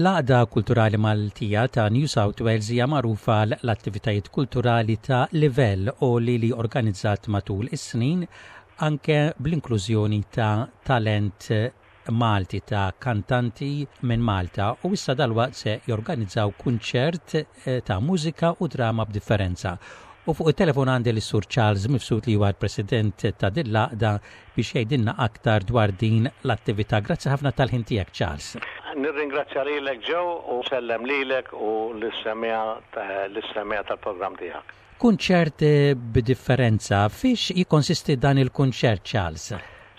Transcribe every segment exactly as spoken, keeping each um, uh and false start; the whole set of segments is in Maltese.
L-Għaqda Kulturali Maltija ta' New South Wales hija magħrufa l-attivitajiet kulturali ta' livell għoli li organizzat matul is-snin, anke bl-inklużjoni ta' talent Malti, ta' kantanti minn Malta, u issa dalwaqt se jorganizzaw kunċert eh, ta' mużika u drama b'differenza. U fuq il-telefon għandi l-Sur Charles Mifsud, li huwa l-President ta' din l-għaqda, biex jgħidilna aktar dwar din l-attività. Grazzi ħafna tal-ħin tiegħek, Charles. Nirringrazzja lilek, Joe, u nsellem lilek u lis-semmiegħa tal-programm tiegħek. Kunċert b'differenza, fiex jikkonsisti dan il-kunċert, Charles?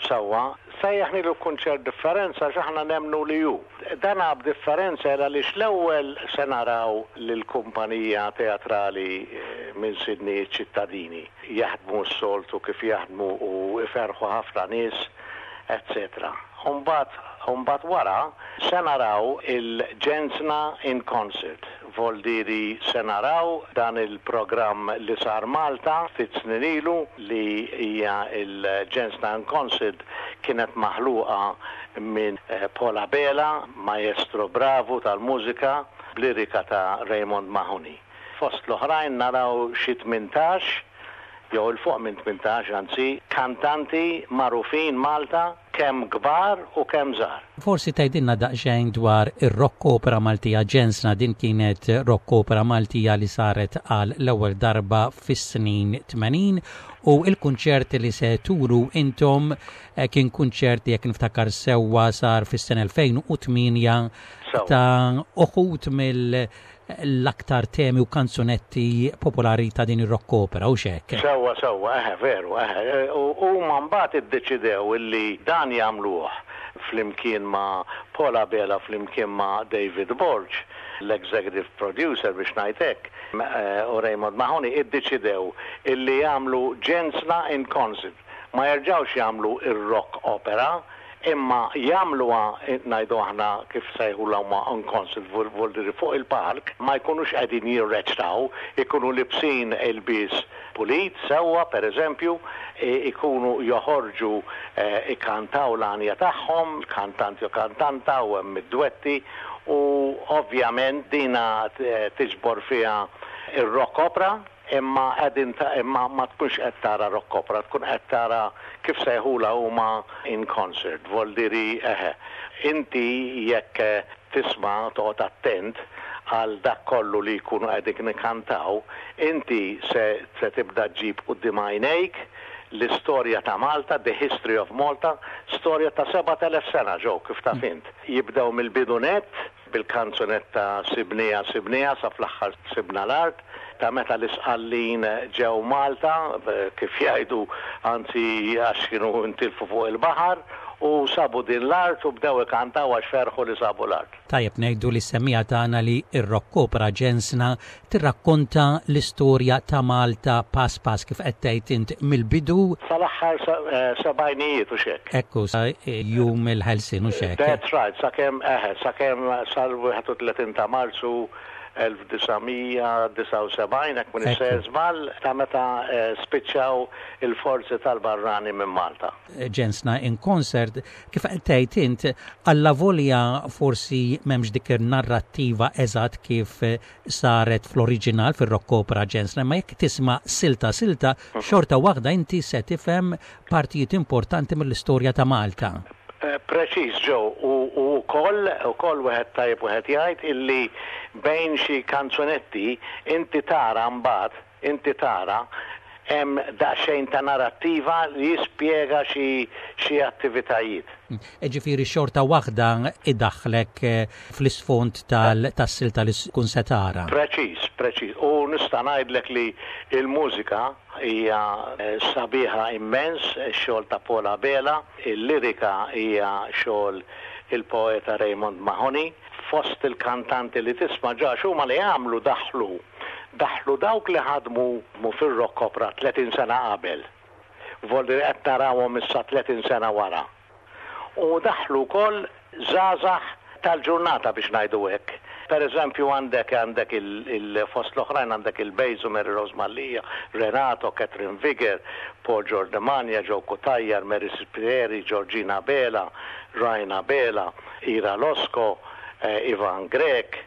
Sewwa, sejjaħnielu kunċert differenza x'aħna nemmnu li hu. Dan b'differenza għaliex l-ewwel se naraw lill-kumpanija teatrali eh, minn Sydney, Ċittadini, jaħdmu s-soltu kif jaħdmu u iferħu ħafna nies, eccetera. Umbat, umbat wara se naraw il-Ġensna in Concert. Voldiri se naraw dan il-programm li sar Malta ftit snin ilu, li hija il-Ġensna in Concert, kienet maħluqa minn eh, Paul Abela, maestro bravu tal-mużika, b'lirika ta' Raymond Mahoney. Fost l-oħrajn naraw xi tmintax, jew 'il fuq minn tmintax anzi, kantanti magħrufin Malta, kemm kbar u kemm żgħar. Forsi tgħidilna daqsxejn dwar ir-rock opera Maltija Ġensna. Din kienet rock opera Maltija li saret għal l-ewwel darba fis-snin tmenin, u il-kunċert li se turu intom eh, kien kunċert, jekk niftakar sewwa, sar fis-sena elfejn u tmienja ta' uħud mill l-aktar temi u kanzunetti popolari ta' din ir-rock opera u xek. Sewwa, sewwa, eħe, veru, eħe. U mbagħad iddeċidew illi dan jagħmluh flimkien ma' Paul Abela, flimkien ma' David Borg, l-executive producer biex ngħidlek, eh, u Raymond Mahoney, iddeċidew illi jagħmlu Ġensna in Concert. Ma jerġgħux jagħmlu ir-rock opera, imma jagħmluha, ngħidu aħna, kif sejħulha huma, in concert, voldiri fuq il-park, ma jkunux qegħdin jirreċtaw, ikunu libsin ilbies pulit, sewwa, per eżempju, ikunu joħorġu eh, ikantaw l-għanja tagħhom, kantanti u kantanta, u hemm id-dwetti, u ovvjament dina tiġbor fiha ir-rock opera, imma qegħdin imma ma tkunx qed tara rock opera, tkun qed tara kif sejħula huma in concert, voldiri eħe. Inti jekk tisma', toqgħod attent għal dak kollu li jkunu qegħdin ikantaw, inti se, se tibda ġġib quddiem għajnejk l-istorja ta' Malta, the history of Malta, storja ta' sebat elef sena, Joe, kif taf int. Jibdew mill-bidu nett, bil-kanzunetta "Sibnieha Sibnieha" sa fl-aħħar "Sibna l-Art", ta' meta l-Isqallin ġew Malta, kif jgħidu, anzi għax kienu intilfu fuq il-baħar, u sabu din l-art u bdew ikantaw għax ferħu li sabu l-art. Tajjeb ngħidu lis-semmiegħa tagħna li ir-rock opera Ġensna tirrakkonta l-istorja ta' Malta pass pass, kif qed tgħid int, mill-bidu sal-aħħar eh, sebgħinijiet u xek. Ekku, sa jum il-ħelsin u xek. That's right, sakemm eħe, sakemm sal-wieħed u tletin ta' Marzu elf disa' mija disgħa u sebgħin, jekk m'iniex sejjer żball, ta' meta eh, spiċċaw il-forzi tal-barrani minn Malta. Ġensna in Concert, kif tgħid int, allavolja forsi m'hemmx dik narrattiva eżatt kif saret fl-oriġinal fir-rock opera Ġensna, ma jekk tisma' silta silta, xorta waħda inti se tifhem partijiet importanti mill-istorja ta' Malta. Eh, preċiż, Joe, u koll, u koll wieħed tajjeb wieħed jgħid illi bejn xi kanzunetti inti tara mbagħad, inti tara hemm daqsxejn ta' narrattiva li jispjega xi xi attivitajiet. Ġifieri xorta waħda idaħlek eh, fl-isfond tas-silta li tkun se tara. Preċiż, preċiż. U nista' ngħidlek li il-mużika hija eh, sabiħa immens, xogħol ta' Paul Abela, il-lirika hija xogħol il-poeta Raymond Mahoney. Fost il-kantanti li tisma' ġa huma li għamlu daħlu daħlu dawk li ħadmu mu fir-rock opera tletin sena qabel. Voldiri qed narawhom issa tletin sena wara. U daħlu wkoll żgħażagħ tal-ġurnata, biex ngħidu hekk. Per eżempju, għandek għandek il-fost l-oħrajn għandek il-Bejzu, Mary Rose Mallia, Renato, Catherine Viger, Paul Giordamania, Joe Cutajar, Mary Spieri, Georgina Bela, Ryan Bela, Ira Losco, eh, Ivan Grech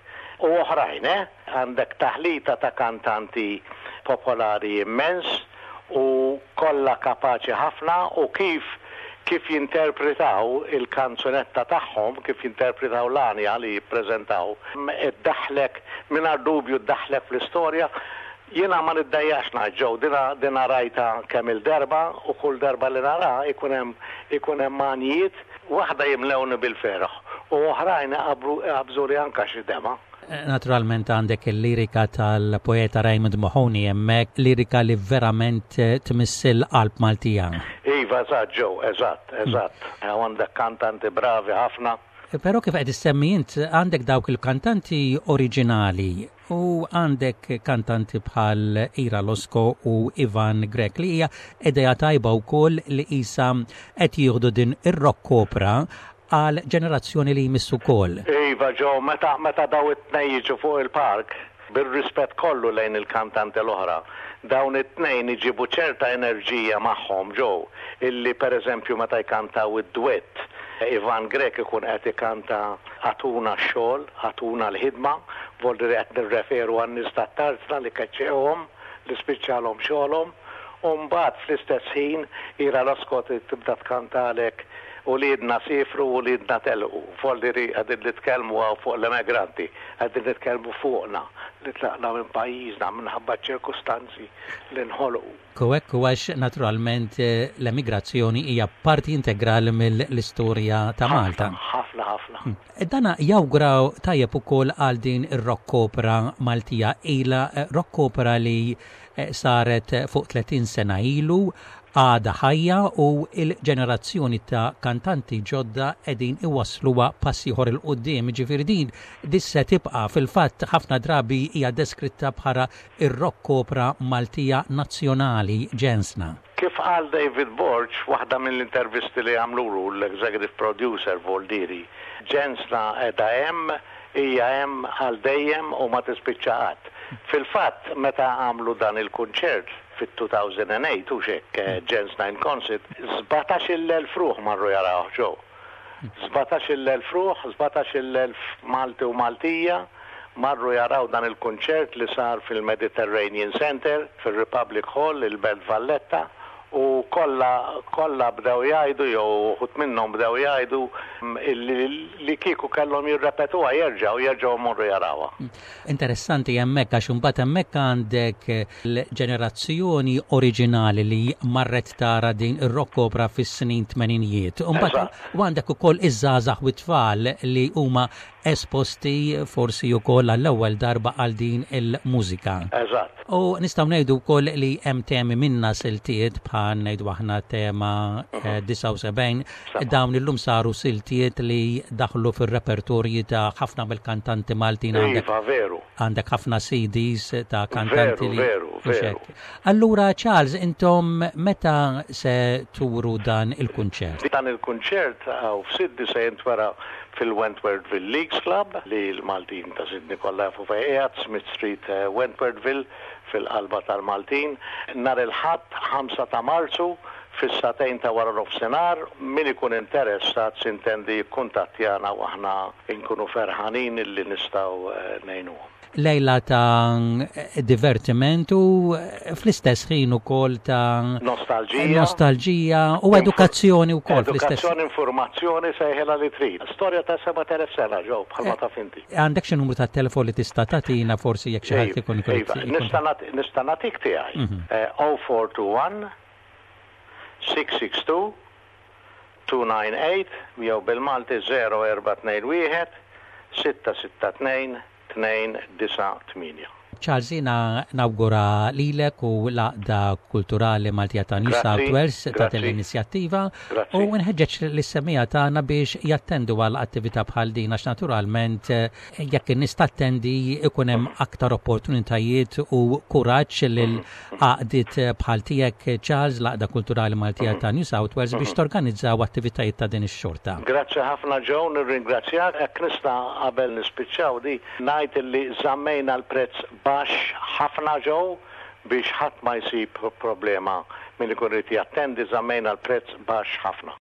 u oħrajn, eh? Għandek taħlita ta' kantanti popolari immens u kollha kapaċi ħafna u kif kif jinterpretaw il-kanzunetta tagħhom, kif jinterpretaw l-għanja li jippreżentaw, iddaħlek, mingħajr dubju ddaħlek fl-istorja. Jiena ma niddejjaqx ngħid, Joe, dina, dina rajta kemm il-darba u kull darba li nara ikun hemm ikun hemm għanjiet, waħda jimlewni bil-ferħ u oħrajn jaqbżuli anka xi demgħa. Naturalment għandek il-lirika tal-poeta Raymond Mahoney hemmhekk, lirika li verament tmiss il-qalb Maltija. Iva, eżatt, Joe, eżatt, eżatt. Għandek kantanti bravi ħafna. Però kif qed issemmi int, għandek dawk il-kantanti oriġinali u għandek kantanti bħal Ira Losco u Ivan Grech, li hija idea tajba wkoll li isa qed jieħdu din ir-rock opera għal ġenerazzjoni li jmissu wkoll. Iva, Joe, meta, meta daw it-tnejn jiġu fuq il-palk, bir-rispett kollu lejn il-kantanti l-oħra, dawn it-tnejn iġibu ċerta enerġija magħhom, Joe, illi per eżempju meta jkantaw id-duett, Ivan Grech ikun qed ikanta "Agħtuna x-xogħol, agħtuna l-ħidma", voldiri qed nirreferu għan-nies tat-tarzna li keċċewhom, li spiċċalhom xogħolhom, u mbagħad fl-istess ħin Ira Losco tibda tkantalek "Uliedna siefru, uliedna telqu". Voldiri qegħdin nitkellmu hawn fuq l-emigranti, qegħdin nitkellmu fuqna li tlaqna minn pajjiżna minħabba ċirkustanzi li nħolqu. Hekk għax naturalment eh, l-emigrazzjoni hija parti integrali mill-istorja ta' Malta. Ħafna, ħafna. Hmm. Dana jawgura tajjeb ukoll għal din ir-rock opera Maltija, ila eh, rock opera li eh, saret fuq tletin sena ilu, għada ħajja u il-ġenerazzjoni ta' kantanti ġodda qegħdin iwasluha pass ieħor 'il quddiem. Ġifieri din dissa tibqa', fil-fatt ħafna drabi hija deskritta bħala ir-rock opera Maltija nazzjonali, Ġensna. Kif qal David Borg, waħda mill-intervisti li għamlulu, l-executive producer Voldiri, Ġensna qiegħda hemm, hija hemm għal dejjem u ma tispiċċa qatt. Fil-fatt, meta għamlu dan il-kunċert fit-elfejn u tmienja u xek Ġensna in Concert, sbatax-il elf ruħ marru jaraw, Joe. Sbatax-il elf ruħ, sbatax-il elf Malti u Maltija marru jaraw dan il-kunċert li sar fil-Mediterranean Center, fil-Republic Hall, il-Belt Valletta, u kollha kollha bdew jgħidu, jew uħud minnhom bdew jgħidu li, li kieku kellhom jirrepetuha jerġgħu jerġgħu morru jarawha. Interessanti hemmhekk għax imbagħad hemmhekk għandek l-ġenerazzjoni oriġinali li marret tara din ir-rock opera fis-snin tmeninijiet. Imbagħad u għandek ukoll iż-żgħażagħ u t-tfal li huma esposti forsi wkoll għall-ewwel darba għal din il-mużika. Eżatt. U nistgħu ngħidu wkoll li hemm temi minna siltiet bħal ngħidu aħna tema eh, disgħa u sebgħin, dawn illum saru siltiet li daħlu fir-repertorji ta' ħafna mill-kantanti Maltin, għandek Iva, veru. għandek ħafna C Ds ta' kantanti Veru, li veru, mhux veru. hekk. Allura Charles, intom meta se turu dan il-kunċert? Dan il-kunċert hawn f'Sydney se jintwera fil-Wentworthville Leagues Club, li l-Maltin ta' Sydney kollha jafu fejn qiegħed, Smith Street, eh, Wentworthville, fil-qalba tal-Maltin. Nhar il-Ħadd ħamsa ta' Marzu fis-sagħtejn ta' wara nofsinhar. Min ikun interessat sintendi jikkuntattjana u aħna nkunu ferħanin illi nistgħu eh, ngħinuhom. Lejla ta' divertiment u fl-istess ħin ukoll ta' Nostalġija. Nostalġija u edukazzjoni wkoll fl-istess. Edukazzjoni, informazzjoni, sejħilha li trid. Storja ta' sebat elef sena, Joe, bħalma taf inti. Għandek xi numru ta' telefon li tista' tagħtina forsi jekk xi ħadd ikun ikun Iva, nista' nagħti- nista' nagħtik tiegħi. Eh, zero four two one six six two two nine eight jew bil-Malti zero erba' tnejn wieħed sitta sitta tnejn tnejn disa' tmienja. Charles, jiena nawgura lilek u l-Għaqda Kulturali Maltija ta' New Grazzi, South Wales ta' grazzi. l-inizjattiva Grazzi. u nħeġġeġ lis-semmiegħa tagħna biex jattendu għal attività bħal din għax naturalment eh, jekk in-nies tattendi ikun hemm aktar opportunitajiet u kuraġġ lil għaqdiet bħal tiegħek, Charles, l-Għaqda Kulturali Maltija ta' New South Wales, biex torganizzaw attivitajiet ta' din ix-xorta. Grazzi ħafna, Joe, nirringrazzjak. Jekk nista' qabel nispiċċaw di ngħid li żammejna l-prezz baxx ħafna, Joe, biex ħadd ma jsib problema min ikun irid jattendi, żammejna l-prezz baxx ħafna.